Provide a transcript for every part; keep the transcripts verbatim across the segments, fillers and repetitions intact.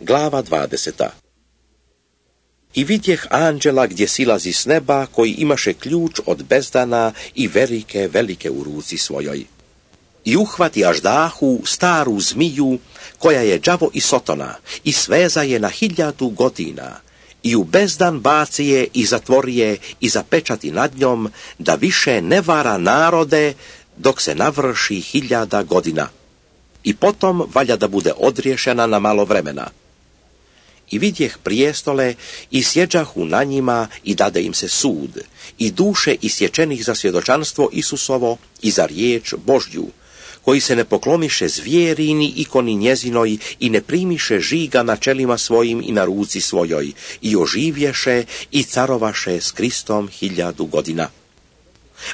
Glava dvadeseta. I vidjeh anđela gdje silazi s neba, koji imaše ključ od bezdana i velike, velike u ruci svojoj. I uhvati aždahu, staru zmiju, koja je đavo i sotona, i sveza je na hiljadu godina, i u bezdan baci je i zatvori je i zapečati nad njom, da više ne vara narode, dok se navrši hiljada godina. I potom valja da bude odriješena na malo vremena. I vidjeh prijestole i sjeđahu na njima i dade im se sud, i duše isječenih za svjedočanstvo Isusovo i za riječ Božju, koji se ne poklomiše zvijeri ikoni njezinoj i ne primiše žiga na čelima svojim i na ruci svojoj, i oživješe i carovaše s Kristom hiljadu godina.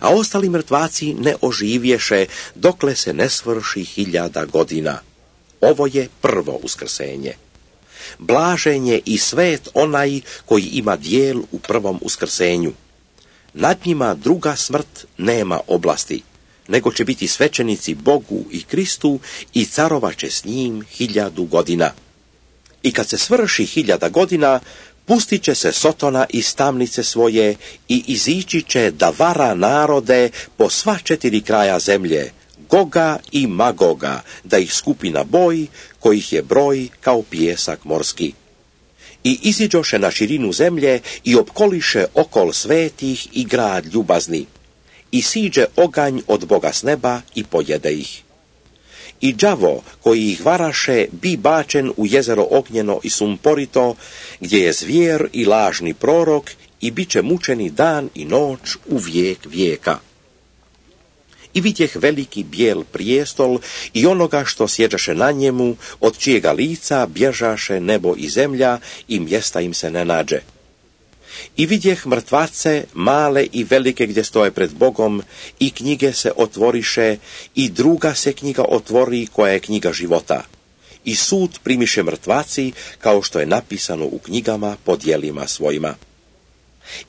A ostali mrtvaci ne oživješe, dokle se ne svrši hiljada godina. Ovo je prvo uskrsenje. Blažen je i svet onaj koji ima dijel u prvom uskrsenju. Nad njima druga smrt nema oblasti, nego će biti svećenici Bogu i Kristu i carovaće s njim hiljadu godina. I kad se svrši hiljada godina, pustit će se Sotona iz tamnice svoje i izići će da vara narode po sva četiri kraja zemlje, Goga i Magoga, da ih skupi na boj, kojih je broj kao pijesak morski. I iziđoše na širinu zemlje i opkoliše okol svetih i grad ljubazni. I siđe oganj od Boga s neba i pojede ih. I đavo koji ih varaše bi bačen u jezero ognjeno i sumporito, gdje je zvijer i lažni prorok, i bit će mučeni dan i noć u vijek vijeka. I vidjeh veliki bijel prijestol i onoga što sjeđaše na njemu, od čijega lica bježaše nebo i zemlja i mjesta im se ne nađe. I vidjeh mrtvace, male i velike gdje stoje pred Bogom, i knjige se otvoriše, i druga se knjiga otvori, koja je knjiga života. I sud primiše mrtvaci, kao što je napisano u knjigama po djelima svojima.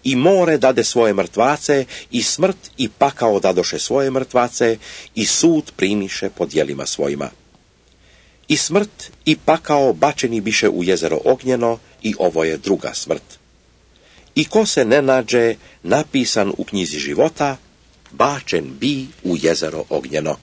I more dade svoje mrtvace, i smrt i pakao dadoše svoje mrtvace, i sud primiše po djelima svojima. I smrt i pakao bačeni biše u jezero ognjeno, i ovo je druga smrt. I ko se ne nađe napisan u knjizi života, bačen bi u jezero ognjeno.